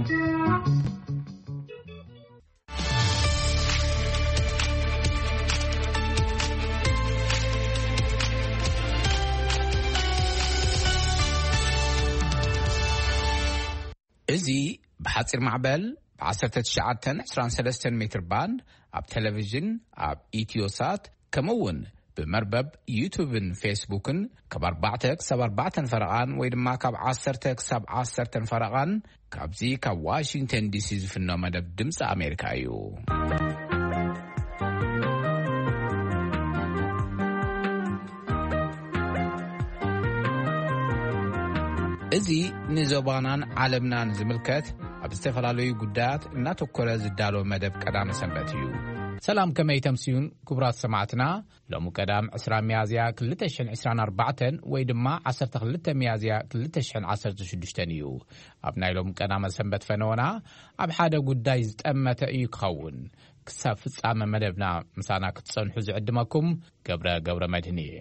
እዚ ብሓጺር ማዕበል ብ19 23 ሜትር ባንድ ኣብ ቴሌቪዥን፣ ኣብ ኢትዮሳት፣ ከምኡ እውን ብመርበብ ዩቱብን ፌስቡክን ካብ ኣርባዕተ ክሳብ ኣርባዕተን ፈረቓን ወይ ድማ ካብ ዓሰርተ ክሳብ ዓሰርተን ፈረቓን ካብዚ ካብ ዋሽንግተን ዲሲ ዝፍኖ መደብ ድምፂ ኣሜሪካ እዩ። እዚ ንዞባናን ዓለምናን ዝምልከት ኣብ ዝተፈላለዩ ጉዳያት እናተኮረ ዝዳሎ መደብ ቀዳመ ሰንበት እዩ። ሰላም፣ ከመይ ተምስዩን ክቡራት ሰማዕትና? ሎሚ ቀዳም ዕስራ ሚያዝያ ክልተ ሽሕን ዕስራን ኣርባዕተን ወይ ድማ ዓሰርተ ክልተ ሚያዝያ ክልተ ሽሕን ዓሰርተ ሽዱሽተን እዩ። ኣብ ናይ ሎም ቀዳመ ሰንበት ፈነወና ኣብ ሓደ ጉዳይ ዝጠመተ እዩ ክኸውን። ክሳብ ፍጻመ መደብና ምሳና ክትጸንሑ ዝዕድመኩም ገብረ ገብረ መድህን እየ።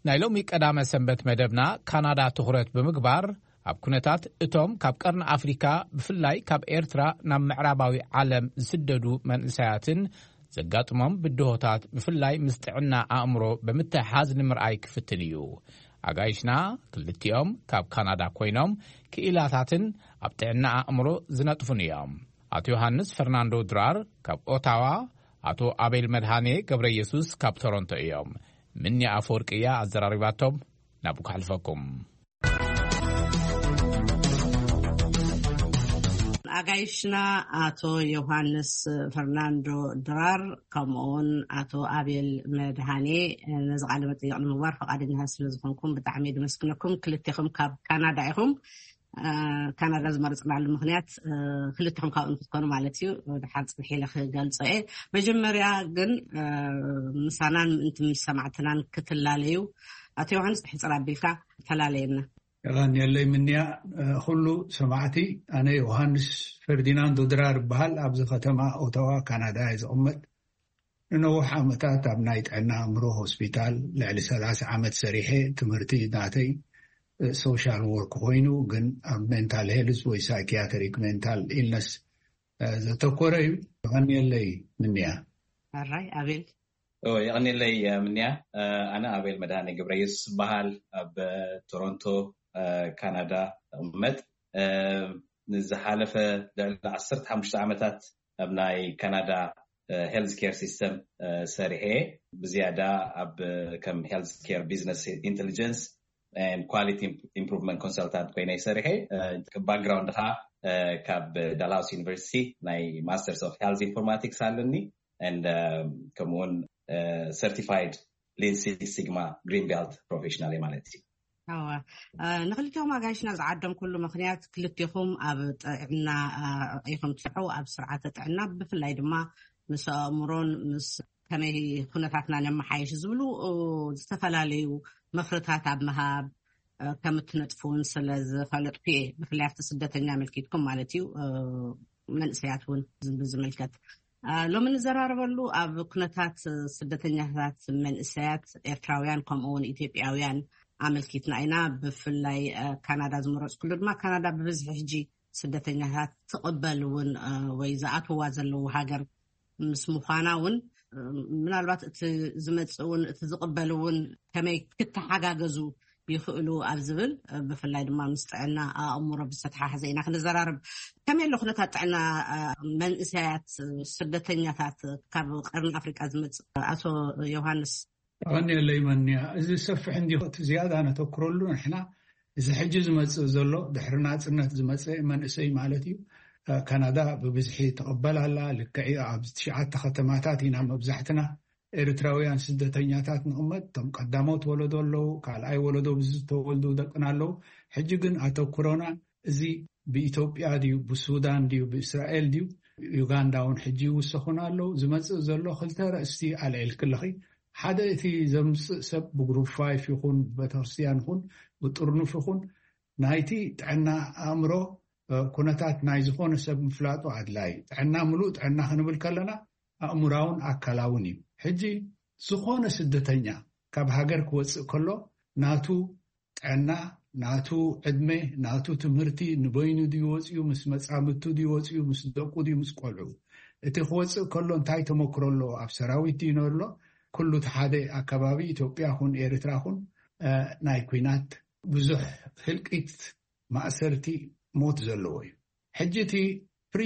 ናይ ሎሚ ቀዳመ ሰንበት መደብና ካናዳ ትኹረት ብምግባር ኣብ ኩነታት እቶም ካብ ቀርኒ ኣፍሪካ ብፍላይ ካብ ኤርትራ ናብ ምዕራባዊ ዓለም ዝስደዱ መንእሰያትን ዘጋጥሞም ብድሆታት ብፍላይ ምስ ጥዕና ኣእምሮ ብምትሕሓዝ ንምርኣይ ክፍትን እዩ። ኣጋይሽና ክልቲኦም ካብ ካናዳ ኮይኖም ክኢላታትን ኣብ ጥዕና ኣእምሮ ዝነጥፉን እዮም። ኣቶ ዮሃንስ ፈርናንዶ ድራር ካብ ኦታዋ፣ ኣቶ ኣቤል መድሃኔ ገብረ ኢየሱስ ካብ ቶሮንቶ እዮም። ምኒ ኣፈወርቂ እያ ኣዘራሪባቶም። ናብኡ ከሕልፈኩም። ኣጋይሽና ኣቶ ዮሃንስ ፈርናንዶ ድራር ከምኡውን ኣቶ ኣቤል መድሃኔ ነዚ ቃለ መጠይቕ ንምግባር ፈቓደኛታት ስለ ዝኾንኩም ብጣዕሚ የመስግነኩም። ክልቴኹም ካብ ካናዳ ኢኹም። ካናዳ ዝመረፅናሉ ምክንያት ክልትኹም ካብኡ ንክትኮኑ ማለት እዩ። ድሓር ፅንሕ ኢለ ክገልፆ እየ። መጀመርያ ግን ምሳናን ምእንቲ ምስ ሰማዕትናን ክትላለዩ ኣቶ ዮሃንስ ሕፅር ኣቢልካ ተላለየና። የቐንየለይ ምንያ። ኩሉ ሰማዕቲ፣ ኣነ ዮሃንስ ፈርዲናንዶ ድራር እበሃል። ኣብዚ ከተማ ኦታዋ ካናዳ እየ ዝቕመጥ። ንነዊሕ ዓመታት ኣብ ናይ ጥዕና ኣእምሮ ሆስፒታል ልዕሊ ሰላሳ ዓመት ሰሪሐ። ትምህርቲ ናተይ ሶሻል ወርክ ኮይኑ፣ ግን ኣብ ሜንታል ሄልዝ ወይ ሳይኪያትሪክ ሜንታል ኢልነስ ዘተኮረ እዩ። የቐንየለይ ምንያ። ኣራይ ኣቤል። የቐንየለይ ምንያ። ኣነ ኣቤል መድሃኔ ገብረየሱስ ዝበሃል ኣብ ቶሮንቶ ካናዳ እቕመጥ። ንዝሓለፈ ልዕሊ ዓሰርተ ሓሙሽተ ዓመታት ኣብ ናይ ካናዳ ሄልዝ ኬር ሲስተም ሰሪሐ። ብዝያዳ ኣብ ከም ሄልዝ ኬር ቢዝነስ ኢንቴሊጀንስ ኳሊቲ ኢምፕሩቭመንት ኮንሰልታንት ኮይነ ይሰርሐ። ባክግራውንድ ከዓ ካብ ዳልሃውስ ዩኒቨርሲቲ ናይ ማስተርስ ኦፍ ሄልዝ ኢንፎርማቲክስ ኣለኒ። ከምኡውን ሰርቲፋይድ ሊን ሲክስ ሲግማ ግሪን ቤልት ፕሮፌሽናል ማለት እዩ። ንክልቲኹም ኣጋይሽና ዝዓደምኩሉ ምክንያት ክልቲኹም ኣብ ጥዕና ኢኹም ትሰርሑ፣ ኣብ ስርዓተ ጥዕና ብፍላይ ድማ ምስ ኣእምሮን ምስ ከመይ ኩነታትና ነመሓየሽ ዝብሉ ዝተፈላለዩ ምክርታት ኣብ ምሃብ ከም እትነጥፉ እውን ስለ ዝፈለጥኩ እየ። ብፍላይ ኣብቲ ስደተኛ ኣመልኪትኩም ማለት እዩ፣ መንእሰያት እውን ብዝምልከት ሎሚ ንዘራረበሉ ኣብ ኩነታት ስደተኛታት መንእሰያት ኤርትራውያን ከምኡ እውን ኢትዮጵያውያን ኣመልኪትና ኢና። ብፍላይ ካናዳ ዝመረፅኩሉ ድማ ካናዳ ብብዝሒ ሕጂ ስደተኛታት ትቕበል እውን ወይ ዝኣትዋ ዘለዉ ሃገር ምስ ምዃና እውን ምናልባት እቲ ዝመፅእ እውን እቲ ዝቕበል እውን ከመይ ክተሓጋገዙ ይኽእሉ ኣብ ዝብል ብፍላይ ድማ ምስ ጥዕና ኣእምሮ ብዝተተሓሓዘ ኢና ክንዘራርብ። ከመይ ኣሎ ኩነታት ጥዕና መንእሰያት ስደተኛታት ካብ ቀርኒ ኣፍሪቃ ዝመፅእ ኣቶ ዮሃንስ? ኣቐንየለይ መንያ። እዚ ሰፍሕ እንዲ እቲ ዝያዳ ነተኩረሉ ንሕና እዚ ሕጂ ዝመፅእ ዘሎ ድሕሪ ናፅነት ዝመፀ መንእሰይ ማለት እዩ። ካናዳ ብብዝሒ ትቕበል ኣላ። ልክዕ ኣብ ትሽዓተ ከተማታት ኢና መብዛሕትና ኤርትራውያን ስደተኛታት ንቕመጥ። እቶም ቀዳሞት ወለዶ ኣለዉ፣ ካልኣይ ወለዶ ብዝተወልዱ ደቅና ኣለዉ። ሕጂ ግን ኣተኩሮና እዚ ብኢትዮጵያ ድዩ ብሱዳን ድዩ ብእስራኤል ድዩ ዩጋንዳ እውን ሕጂ ይውሰኹን ኣለዉ። ዝመፅእ ዘሎ ክልተ ረእስቲ ኣልዒልክለኺ። ሓደ እቲ ዘምፅእ ሰብ ብግሩፕ ፋይፍ ይኹን ብቤተክርስትያን ይኹን ብጥርኑፍ ይኹን ናይቲ ጥዕና ኣእምሮ ኩነታት ናይ ዝኾነ ሰብ ምፍላጡ ኣድላይ። ጥዕና ምሉእ ጥዕና ክንብል ከለና ኣእምራውን ኣካላውን እዩ። ሕጂ ዝኾነ ስደተኛ ካብ ሃገር ክወፅእ ከሎ ናቱ ጥዕና ናቱ ዕድመ፣ ናቱ ትምህርቲ፣ ንበይኑ ድዩ ወፅዩ፣ ምስ መፃምድቱ ድዩ ወፅዩ፣ ምስ ደቁ ድዩ፣ ምስ ቆልዑ? እቲ ክወፅእ ከሎ እንታይ ተመክሮ ኣለዎ? ኣብ ሰራዊት ድዩ ነሎ? ኩሉ እቲ ሓደ ኣከባቢ ኢትዮጵያ ኹን ኤርትራ ኹን፣ እ፣ ናይ ኲናት ብዙሕ ህልቂት፣ ማእሰርቲ፣ ሞት ዘለዎ እዩ። ሕጂ እቲ ፕሪ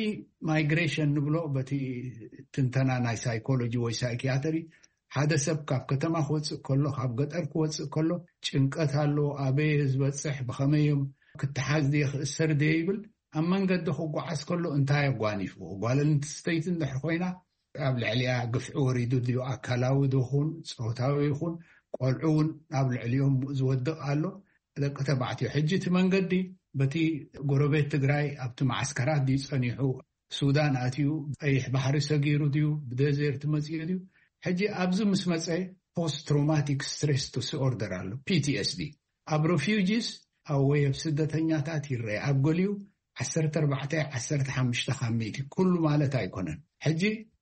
ማይግሬሽን ንብሎ በቲ ትንተና ናይ ሳይኮሎጂ ወይ ሳይኪያትሪ፣ ሓደ ሰብ ካብ ከተማ ክወፅእ ከሎ፣ ካብ ገጠር ክወፅእ ከሎ፣ ጭንቀት ኣሎ፣ ኣበየ ዝበፅሕ፣ ብኸመይ እዮም፣ ክተሓዝ ድየ፣ ክእሰር ድየ ይብል። ኣብ መንገዲ ክጓዓዝ ከሎ እንታይ ኣጓኒፍዎ? ጓል ኣንስተይቲ እንድሕር ኮይና፣ ኣብ ልዕሊኣ ግፍዒ ወሪዱ ድዩ፣ ኣካላዊ ድኹን ፆታዊ ይኹን፣ ቆልዑ እውን ኣብ ልዕሊኦም ዝወድቕ ኣሎ። ደቂ ተባዕትዮ፣ ሕጂ እቲ መንገዲ በቲ ጎረቤት ትግራይ ኣብቲ ማዓስከራት ድዩ ጸኒሑ፣ ሱዳን ኣትዩ፣ ቀይሕ ባሕሪ ሰጊሩ ድዩ፣ ብደዘርት መጽኡ ድዩ? ሕጂ ኣብዚ ምስ መጸ ፖስት ትሮማቲክ ስትሬስ ዲስኦርደር ኣሎ፣ ፒ ቲ ኤስ ዲ። ኣብ ሬፊውጂስ፣ ኣብ ወይ ኣብ ስደተኛታት ይረአ። ኣብ ገሊኡ ዓሰርተ ኣርባዕተ፣ ዓሰርተ ሓሙሽተ ካብ ሚእቲ፣ ኩሉ ማለት ኣይኮነን። ሕጂ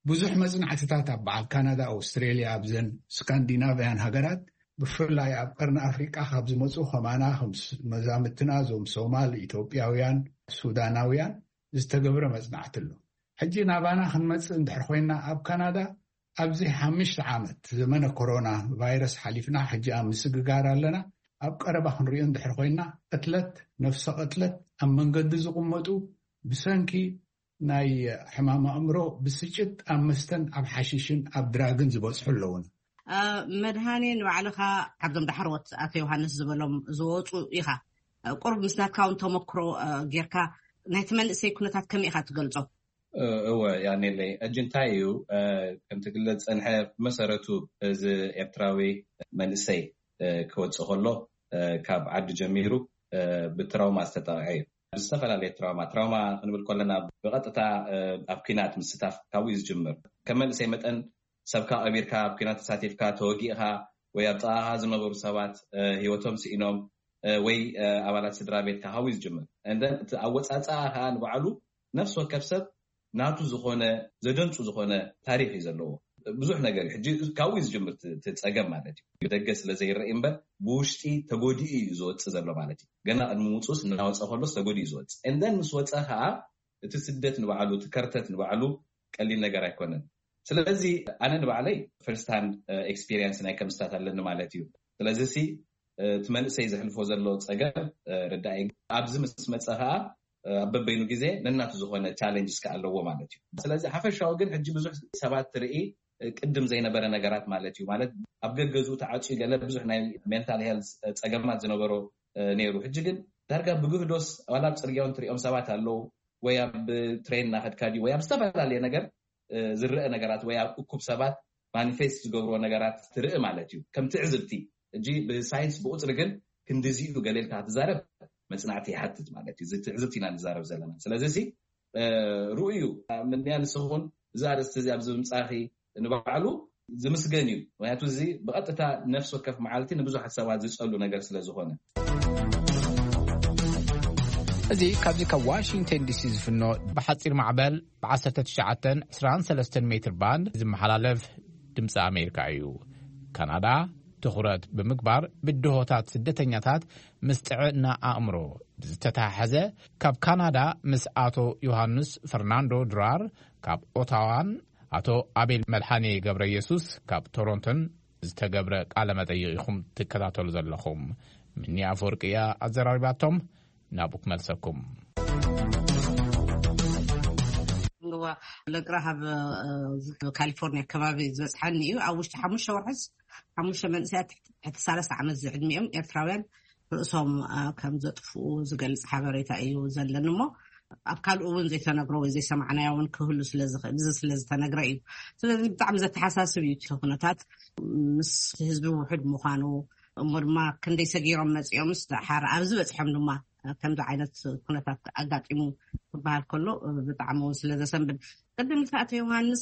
ብዙሕ መጽናዕትታት ኣብ በዓል ካናዳ፣ ኣውስትሬልያ፣ ኣብዘን ስካንዲናቭያን ሃገራት፣ ብፍላይ ኣብ ቀርኒ ኣፍሪቃ ካብ ዝመጹ ከማና፣ ከም ስ-፣ መዛምትና፣ እዞም ሶማል፣ ኢትዮጵያውያን፣ ሱዳናውያን፣ ዝተገብረ መጽናዕቲ ኣሎ። ሕጂ ናባና ክንመጽእ እንድሕር ኮይና፣ ኣብ ካናዳ ኣብዚ ሓሙሽተ ዓመት ዘመነ ኮሮና ቫይረስ ሓሊፍና፣ ሕጂ ኣብ ምስግጋር ኣለና። ኣብ ቀረባ ክንሪኦ እንድሕር ኮይና፣ ቅትለት፣ ነፍሰ ቅትለት፣ ኣብ መንገዲ ዝቕመጡ ብሰንኪ ናይ ሕማም ኣእምሮ፣ ብስጭት፣ ኣብ መስተን ኣብ ሓሽሽን ኣብ ድራግን ዝበጽሑ ኣለውን። እ፣ መድሃኔ፣ ንባዕልኻ ካብዞም ዳሕረዎት ኣቶ ዮሃንስ ዝበሎም ዝወፁ ኢኻ። እ፣ ቁሩብ ምስ ናትካ እውን ተመክሮ፣ እ፣ ጌርካ ናይቲ መንእሰይ ኩነታት ከመይ ኢኻ ትገልጾ? እ፣ እወ፣ ያኔለይ፣ ሕጂ እንታይ እዩ፣ እ፣ ከምቲ ክግለጽ ጸንሐ፣ ብመሰረቱ እዚ ኤርትራዊ መንእሰይ፣ እ፣ ክወጽእ ከሎ፣ እ፣ ካብ ዓዲ ጀሚሩ፣ እ፣ ብትራውማ ዝተጠቕዐ እዩ። ብዝተፈላለየ ትራውማ፣ ትራውማ ክንብል ከለና ብቐጥታ፣ እ፣ ኣብ ኲናት ምስታፍ ካብኡ እዩ ዝጅምር። ከም መንእሰይ መጠን ሰብካ ቀቢርካ ኣብ ኲናት ተሳቲፍካ፣ ተወጊእኻ፣ ወይ ኣብ ጥቓኻ ዝነበሩ ሰባት፣ እ፣ ህይወቶም ስኢኖም፣ እ፣ ወይ፣ እ፣ ኣባላት ስድራ ቤትካ ካብኡ እዩ ዝጅምር። And then እቲ ኣወጻጽኣ ከኣ ንባዕሉ ነፍሲ ወከፍ ሰብ ናቱ ዝኾነ፣ ዘደንጹ ዝኾነ ታሪኽ እዩ ዘለዎ። ብዙሕ ነገር እዩ። ሕጂ ካብኡ እዩ ዝጅምር እቲ፣ እቲ ጸገም ማለት እዩ። ብደገ ስለ ዘይረኣይ እምበር ብውሽጢ ተጎዲኡ እዩ ዝወጽእ ዘሎ ማለት እዩ። ገና ቅድሚ ምውጽኡስ እናወጸ ከሎስ ተጎዲኡ እዩ ዝወጽእ። And then ምስ ወጸ ከኣ እቲ ስደት ንባዕሉ፣ እቲ ከርተት ንባዕሉ ቀሊል ነገር ኣይኮነን። ስለዚ ኣነ ንባዕለይ ፈርስት ሃንድ ኤክስፒሪየንስ ናይ ከምስታት ኣለኒ ማለት እዩ። ስለዚ ሲ እቲ መንእሰይ ዘሕልፎ ዘሎ ጸገም፣ እ፣ ርዳእ እዩ። ኣብዚ ምስ መጸ ከኣ፣ እ፣ ኣብ በበይኑ ግዜ ነናቱ ዝኾነ ቻሌንጅስ ከኣ ኣለዎ ማለት እዩ። ስለዚ ሓፈሻዊ ግን ሕጂ ብዙሕ ሰባት ትርኢ፣ እ፣ ቅድም ዘይነበረ ነገራት ማለት እዩ። ማለት ኣብ ገገዝኡ ተዓጽዩ ገለ ብዙሕ ናይ ሜንታል ሄልዝ፣ እ፣ ጸገማት ዝነበሮ፣ እ፣ ነይሩ። ሕጂ ግን ዳርጋ ብግህዶስ ዋላ ኣብ ጽርግያ እውን ትሪኦም ሰባት ኣለዉ፣ ወይ ኣብ ትሬን እናኸድካ ድዩ፣ ወይ ኣብ ዝተፈላለየ ነገር፣ እ፣ ዝረአ ነገራት፣ ወይ ኣብ እኩብ ሰባት ማኒፌስት ዝገብርዎ ነገራት ትርኢ ማለት እዩ። ከም ትዕዝብቲ፣ ሕጂ ብሳይንስ ብቁጽሪ ግን ክንዲዚኡ ገለ ኢልካ ክትዛረብ መጽናዕቲ ይሓትት ማለት እዩ። እዚ ትዕዝብቲ ኢና ንዛረብ ዘለና። ስለዚ እዚ፣ እ፣ ርኡይ እዩ። ምንያ ንስኹን እዚ ኣርእስቲ እዚ ኣብዚ ምምጻእኺ ንባዕሉ ዝምስገን እዩ። ምክንያቱ እዚ ብቐጥታ ነፍሲ ወከፍ መዓልቲ ንብዙሓት ሰባት ዝጸሉ ነገር ስለ ዝኾነ። እዚ ካብዚ ካብ ዋሽንግተን ዲ ሲ ዝፍኖ ብሓጺር ማዕበል ብ ዓሰርተ ትሽዓተ ዕስራን ሰለስተን ሜትር ባንድ ዝመሓላለፍ ድምፂ ኣሜሪካ እዩ። ካናዳ ትኹረት ብምግባር ብድሆታት ስደተኛታት ምስ ጥዕና ኣእምሮ ብዝተተሓሓዘ፣ ካብ ካናዳ ምስ ኣቶ ዮሃንስ ፈርናንዶ ድራር ካብ ኦታዋን ኣቶ ኣቤል መድሓኔ ገብረ ኢየሱስ ካብ ቶሮንቶን ዝተገብረ ቃለ መጠይቕ ኢኹም ትከታተሉ ዘለኹም። ምኒ ኣፈወርቂ እያ ኣዘራሪባቶም። ናብኡ ክመልሰኩም። እዋ፣ ለቅራ ካብ፣ እ፣ ካሊፎርኒያ ከባቢ ዝበፅሓኒ እዩ። ኣብ ውሽጢ ሓሙሽተ ወርሕስ ሓሙሽተ መንእሰያት ትሕቲ፣ ትሕቲ ሰላሳ ዓመት ዝዕድሚኦም ኤርትራውያን ርእሶም፣ እ፣ ከም ዘጥፍኡ ዝገልጽ ሓበሬታ እዩ ዘለኒ። እሞ ኣብ ካልኡ እውን ዘይተነግሮ ወይ ዘይሰማዕናዮ እውን ክህሉ ስለ ዝኽእል፣ እዚ ስለ ዝተነግረ እዩ። ስለዚ ብጣዕሚ ዘተሓሳስብ እዩ እቲ ኩነታት፣ ምስ ህዝቢ ውሑድ ምዃኑ፣ እሞ ድማ ክንደይ ሰጊሮም መጺኦምስ ደሓር ኣብዚ በጺሖም ድማ ከምዚ ዓይነት ኩነታት ኣጋጢሙ ክበሃል ከሎ ብጣዕሚ እውን ስለ ዘሰንብድ። ቅድም ኢልካ ኣቶ ዮሃንስ፣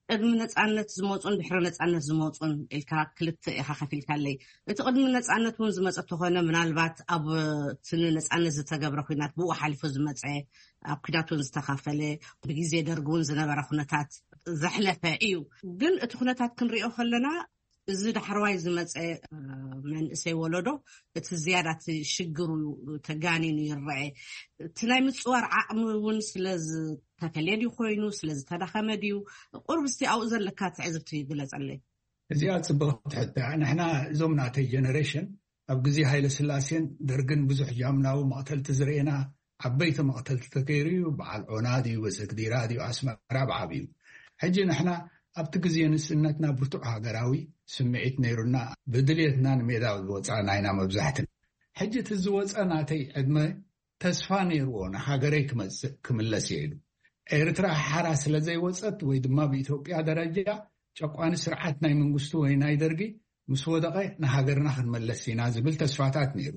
ቅድሚ ነጻነት ዝመጹን ድሕሪ ነጻነት ዝመጹን ኢልካ ክልተ ኢኻ ከፊልካለይ። እቲ ቅድሚ ነጻነት እውን ዝመጸ ተኾነ፣ ምናልባት ኣብ እቲ ንነጻነት ዝተገብረ ኲናት ብኡ ሓሊፉ ዝመጸ፣ ኣብ ኲናት እውን ዝተኻፈለ፣ ብግዜ ደርጊ እውን ዝነበረ ኩነታት ዘሕለፈ እዩ። ግን እቲ ኩነታት ክንሪኦ ከለና እዚ ዳሕረዋይ ዝመፀ መንእሰይ ወለዶ እቲ ዝያዳ እቲ ሽግሩ ተጋኒኑ ይረአ። እቲ ናይ ምፅዋር ዓቕሚ እውን ስለ ዝተፈለየ ድዩ ኮይኑ፣ ስለ ዝተዳኸመ ድዩ? ቁርብ እስቲ ኣብኡ ዘለካ ትዕዝብቲ ግለፀለይ። እዚኣ ፅብቕቲ ሕቶ እያ። ንሕና እዞም ናተይ ጀነሬሽን ኣብ ግዜ ሃይለ ስላሴን ደርግን ብዙሕ ጃምላዊ መቕተልቲ ዝርኤና፣ ዓበይቲ መቕተልቲ ተገይሩ እዩ። በዓል ዖና ድዩ፣ በሰግዲራ ድዩ፣ ኣስመራ ብዓብዩ። ሕጂ ንሕና ኣብቲ ግዜ ንስነትና ብርቱዕ ሃገራዊ ስምዒት ነይሩና፣ ብድልየትና ንሜዳ ዝወፃና ኢና መብዛሕትና። ሕጂ እቲ ዝወፀ ናተይ ዕድመ ተስፋ ነይርዎ ንሃገረይ ክመፅእ ክምለስ እየ ኢሉ። ኤርትራ ሓራ ስለ ዘይወፀት ወይ ድማ ብኢትዮጵያ ደረጃ ጨቋኒ ስርዓት ናይ መንግስቱ ወይ ናይ ደርጊ ምስ ወደቐ ንሃገርና ክንመለስ ኢና ዝብል ተስፋታት ነይሩ።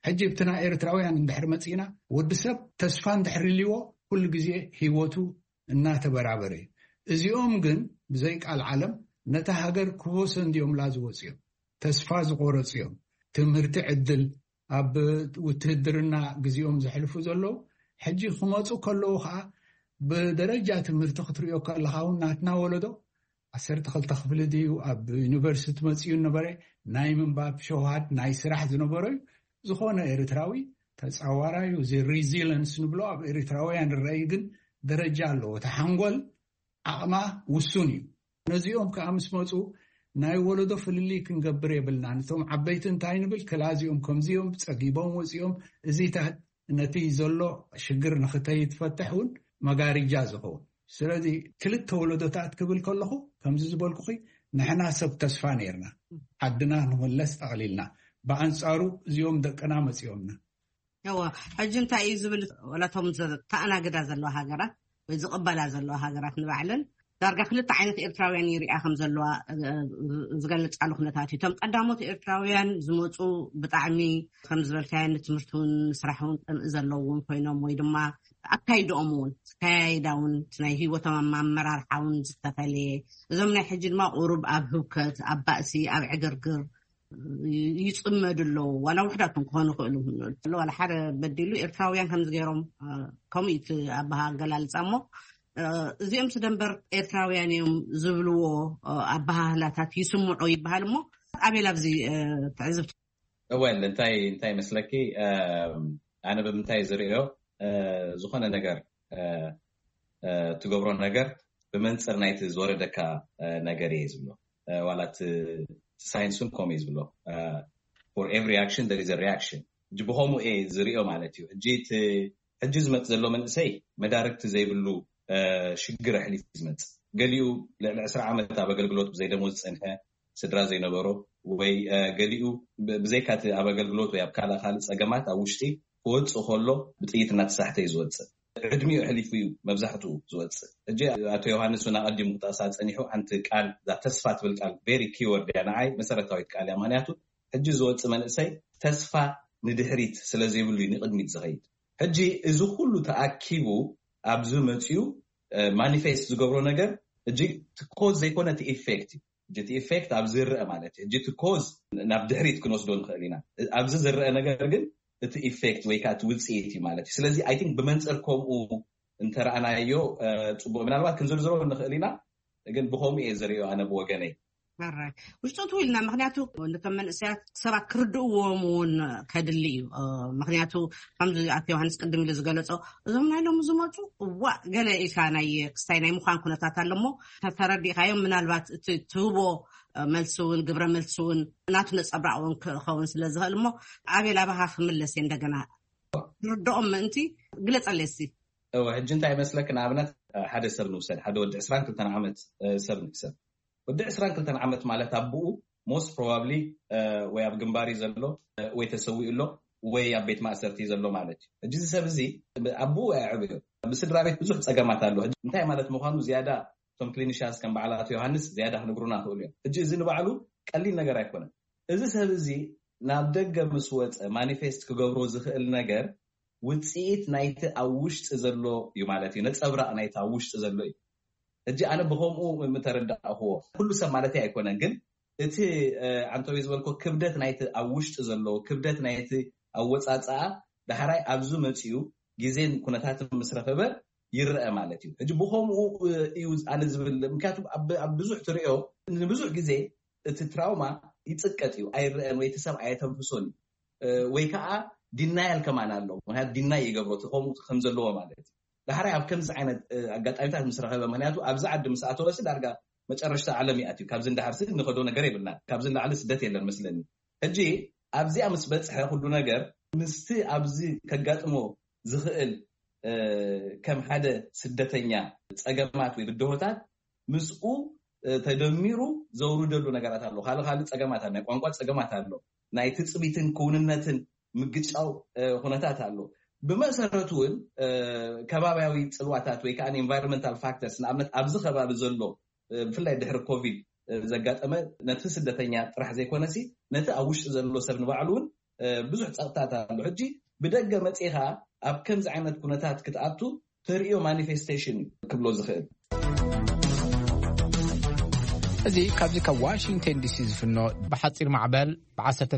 ሕጂ ብቲ ናይ ኤርትራውያን እንድሕር መፂና፣ ወዲ ሰብ ተስፋ እንድሕር ልዎ ኩሉ ግዜ ህይወቱ እናተበራበረ እዩ። እዚኦም ግን ብዘይ ቃል ዓለም ነታ ሃገር ክቦሰ እንዲዮምላ ዝወፅዮም፣ ተስፋ ዝቆረፅዮም፣ ትምህርቲ ዕድል ኣብ ውትህድርና ግዜኦም ዘሕልፉ ዘለዉ፣ ሕጂ ክመፁ ከለዉ ከዓ ብደረጃ ትምህርቲ ክትሪኦ ከለኻ እውን ናትና ወለዶ ዓሰርተ ክልተ ክፍሊ ድዩ ኣብ ዩኒቨርሲቲ መፅኡ ነበረ፣ ናይ ምንባብ ሸውሃት ናይ ስራሕ ዝነበሮ እዩ። ዝኾነ ኤርትራዊ ተፃዋራዩ እዚ ሪዚለንስ ንብሎ ኣብ ኤርትራውያን ርኣይ ግን ደረጃ ኣለዎ። እቲ ሓንጎል ዓቕማ ውሱን እዩ። ነዚኦም ከዓ ምስ መፁ ናይ ወለዶ ፍልልይ ክንገብር የብልና። ነቶም ዓበይቲ እንታይ ንብል፣ ክላዚኦም ከምዚኦም ፀጊቦም ወፂኦም፣ እዚታት ነቲ ዘሎ ሽግር ንክተይትፈትሕ እውን መጋርጃ ዝኸውን። ስለዚ ክልተ ወለዶታት ክብል ከለኹ ከምዚ ዝበልኩኺ ንሕና ሰብ ተስፋ ነይርና፣ ዓድና ንመለስ ጠቕሊልና። ብኣንፃሩ እዚኦም ደቅና መፂኦምና። እወ፣ ሕጂ እንታይ እዩ ዝብል፣ ወላቶም ዘተኣናግዳ ዘለዋ ሃገራት ወይ ዝቕበላ ዘለዋ ሃገራት ንባዕለን ዳርጋ ክልተ ዓይነት ኤርትራውያን ይሪኣ ከም ዘለዋ ዝገልጻሉ ኩነታት እዩ። እቶም ቀዳሞት ኤርትራውያን ዝመፁ ብጣዕሚ ከም ዝበልካዮ ንትምህርቲ እውን ንስራሕ እውን ቅንኢ ዘለዎም ኮይኖም ወይ ድማ ኣካይድኦም እውን ኣካያይዳ እውን እቲ ናይ ህይወቶም ኣመራርሓ እውን ዝተፈለየ። እዞም ናይ ሕጂ ድማ ቁሩብ ኣብ ህውከት፣ ኣብ ባእሲ፣ ኣብ ዕግርግር ይፅመዱ ኣለዉ። ዋላ ውሕዳት ክኾኑ ይኽእሉ ዋላ ሓደ በዲሉ ኤርትራውያን ከምዚ ገይሮም ከምኡ እቲ ኣባሃ ኣገላልፃ እሞ እዚኦም ስደንበር ኤርትራውያን እዮም ዝብልዎ ኣባሃህላታት ይስምዑ ይበሃል እሞ ኣቤል ኣብዚ ትዕዝብቲ። እወል እንታይ እንታይ መስለኪ ኣነ ብምንታይ ዝርእዮ ዝኾነ ነገር ትገብሮ ነገር ብመንፅር ናይቲ ዝወረደካ ነገር እየ ዝብሎ። ዋላ ሳይንሱን ከምኡ እዩ ዝብሎ። For every action there is a reaction። ብኸምኡ እየ ዝርእዮ ማለት እዩ። ሕጂ ዝመፅ ዘሎ መንእሰይ መዳርግቲ ዘይብሉ ሽግር ኣሕሊፉ ዝመፅ፣ ገሊኡ ልዕሊ ዕስራ ዓመት ኣብ ኣገልግሎት ብዘይደሞዝ ዝፀንሐ ስድራ ዘይነበሮ ወይ ገሊኡ ብዘይካቲ ኣብ ኣገልግሎት ወይ ኣብ ካልእ ካልእ ፀገማት ኣብ ውሽጢ ክወፅእ ከሎ ብጥይት እናተሳሕተ እዩ ዝወፅእ። ዕድሚኡ ኣሕሊፉ እዩ መብዛሕትኡ ዝወፅእ። ሕጂ ኣቶ ዮሃንስ እውን ኣቐዲሙ ክጠቕሳ ፀኒሑ ሓንቲ ቃል እዛ ተስፋ ትብል ቃል very key word እያ፣ ንዓይ መሰረታዊት ቃል እያ። ምክንያቱ ሕጂ ዝወፅእ መንእሰይ ተስፋ ንድሕሪት ስለዘይብሉ እዩ ንቕድሚት ዝኸይድ። ሕጂ እዚ ኩሉ ተኣኪቡ ኣብዚ መፅዩ ማኒፌስት ዝገብሮ ነገር እጂ እቲ ኮዝ ዘይኮነ እቲ ኢፌክት እዩ። እቲ ኢፌክት ኣብ ዝረአ ማለት እዩ። እቲ ኮዝ ናብ ድሕሪት ክንወስዶ ንኽእል ኢና። ኣብዚ ዝረአ ነገር ግን እቲ ኢፌክት ወይ ከዓ እቲ ውፅኢት እዩ ማለት እዩ። ስለዚ ኣይ ቲንክ ብመንፅር ከምኡ እንተረኣናዮ ፅቡቅ። ምናልባት ክንዝርዝሮ ንኽእል ኢና፣ ግን ብከምኡ እየ ዝሪኦ ኣነ ብወገነይ። ውሽጡ ትው ኢልና፣ ምክንያቱ ንቶም መንእሰያት ሰባት ክርድእዎም እውን ከድሊ እዩ። ምክንያቱ ከምዚ ኣቶ ዮሃንስ ቅድም ኢሉ ዝገለፆ እዞም ናይ ሎሚ ዝመፁ እዋ ገለ ኢልካ ናይ ክስታይ ናይ ምዃን ኩነታት ኣሎ እሞ ተረዲእካዮም ምናልባት እቲ ትህቦ መልሲ እውን ግብረ መልሲ እውን ናቱ ነፀብራቕ እውን ክኸውን ስለ ዝኽእል እሞ ኣቤል ኣባኻ ክምለስ እየ እንደገና ርድኦም ምእንቲ ግለፀለይ እስቲ። እወ ሕጂ እንታይ ይመስለክ፣ ንኣብነት ሓደ ሰብ ንውሰድ፣ ሓደ ወዲ ዕስራን ክልተን ዓመት ሰብ ንሕሰብ። ወዲ ዕስራን ክልተን ዓመት ማለት ኣቦኡ most probably ወይ ኣብ ግንባር እዩ ዘሎ ወይ ተሰዊኡ ኣሎ ወይ ኣብ ቤት ማእሰርቲ እዩ ዘሎ ማለት እዩ። ሕጂ እዚ ሰብ እዚ ኣቦኡ ኣየዕበዮ፣ ብስድራ ቤት ብዙሕ ፀገማት ኣሎ። ሕጂ እንታይ ማለት ምዃኑ ዝያዳ እቶም ክሊኒሻንስ ከም በዓል ኣቶ ዮሃንስ ዝያዳ ክነግሩና ይኽእሉ እዮም። ሕጂ እዚ ንባዕሉ ቀሊል ነገር ኣይኮነን። እዚ ሰብ እዚ ናብ ደገ ምስ ወፀ ማኒፌስት ክገብሮ ዝኽእል ነገር ውፅኢት ናይቲ ኣብ ውሽጢ ዘሎ እዩ ማለት እዩ፣ ነፀብራቕ ናይቲ ኣብ ውሽጢ ዘሎ እዩ። ሕጂ ኣነ ብከምኡ ምተረዳእኽዎ ኩሉ ሰብ ማለት ኣይኮነን፣ ግን እቲ ዓንተወይ ዝበልኮ ክብደት ናይቲ ኣብ ውሽጢ ዘሎ ክብደት ናይቲ ኣወፃፅኣ ዳሕራይ ኣብዚ መፅኡ ግዜን ኩነታትን ምስ ረኸበ ይረአ ማለት እዩ። ሕጂ ብከምኡ እዩ ኣነ ዝብል፣ ምክንያቱ ኣብ ብዙሕ ትሪኦ ንብዙሕ ግዜ እቲ ትራውማ ይጽቀጥ እዩ፣ ኣይረአን ወይ እቲ ሰብ ኣየተንፍሶን እዩ። ወይ ከዓ ዲናያል ከማን ኣሎ። ምክንያቱ ዲናይ ይገብሮ እቲ ከምኡ ከም ዘለዎ ማለት እዩ። ዳሕራይ ኣብ ከምዚ ዓይነት ኣጋጣሚታት ምስ ረኸበ፣ ምክንያቱ ኣብዚ ዓዲ ምስ ኣተወሲ ዳርጋ መጨረሽታ ዓለም ይኣትዩ። ካብዚ እንዳሓርሲ ንኸዶ ነገር የብልና፣ ካብዚ ንላዕሊ ስደት የለን መስለኒ። ሕጂ ኣብዚኣ ምስ በፅሐ ኩሉ ነገር ምስቲ ኣብዚ ከጋጥሞ ዝኽእል ከም ሓደ ስደተኛ ፀገማት ወይ ብድሆታት ምስኡ ተደሚሩ ዘውርደሉ ነገራት ኣሎ። ካልእ ካልእ ፀገማት ኣሎ፣ ናይ ቋንቋ ፀገማት ኣሎ፣ ናይ ትፅቢትን ክውንነትን ምግጫው ኩነታት ኣሎ። ብመሰረቱ እውን ከባብያዊ ፅልዋታት ወይ ከዓ environmental factors፣ ንኣብነት ኣብዚ ከባቢ ዘሎ ብፍላይ ድሕሪ ኮቪድ ዘጋጠመ ነቲ ስደተኛ ጥራሕ ዘይኮነሲ ነቲ ኣብ ውሽጢ ዘሎ ሰብ ንባዕሉ እውን ብዙሕ ፀቕጥታት ኣሎ። ሕጂ ብደገ መፂኻ ኣብ ከምዚ ዓይነት ኩነታት ክትኣቱ ተርእዮ ማኒፌስቴሽን እዩ ክብሎ ዝኽእል። እዚ ካብዚ ካብ ዋሽንግተን ዲሲ ዝፍኖ ብሓፂር ማዕበል ብ19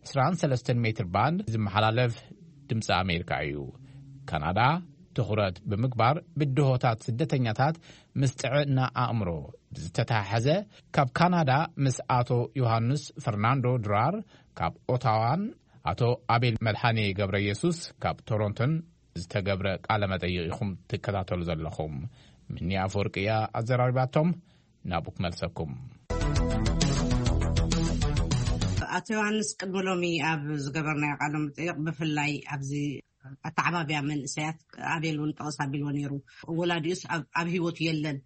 23 ሜትር ባንድ ዝመሓላለፍ ድምፂ ኣሜሪካ እዩ። ካናዳ ትኹረት ብምግባር ብድሆታት ስደተኛታት ምስ ጥዕና ኣእምሮ ዝተተሓሓዘ ካብ ካናዳ ምስ ኣቶ ዮሃንስ ፈርናንዶ ድራር ካብ ኦታዋን ኣቶ ኣቤል መድሓኔ ገብረ ኢየሱስ ካብ ቶሮንቶን ዝተገብረ ቃለ መጠይቕ ኢኹም ትከታተሉ ዘለኹም። ምኒ ኣፈወርቂ እያ ኣዘራሪባቶም። ናብኡ ክመልሰኩም። ኣቶ ዮሃንስ፣ ቅድሚ ሎሚ ኣብ ዝገበርናዮ ቃለ መጠይቕ ብፍላይ ኣብዚ ኣተዓባብያ መንእሰያት ኣቤል እውን ጠቕስ ኣቢልዎ ነይሩ። ወላዲኡስ ኣብ ህይወት የለን፣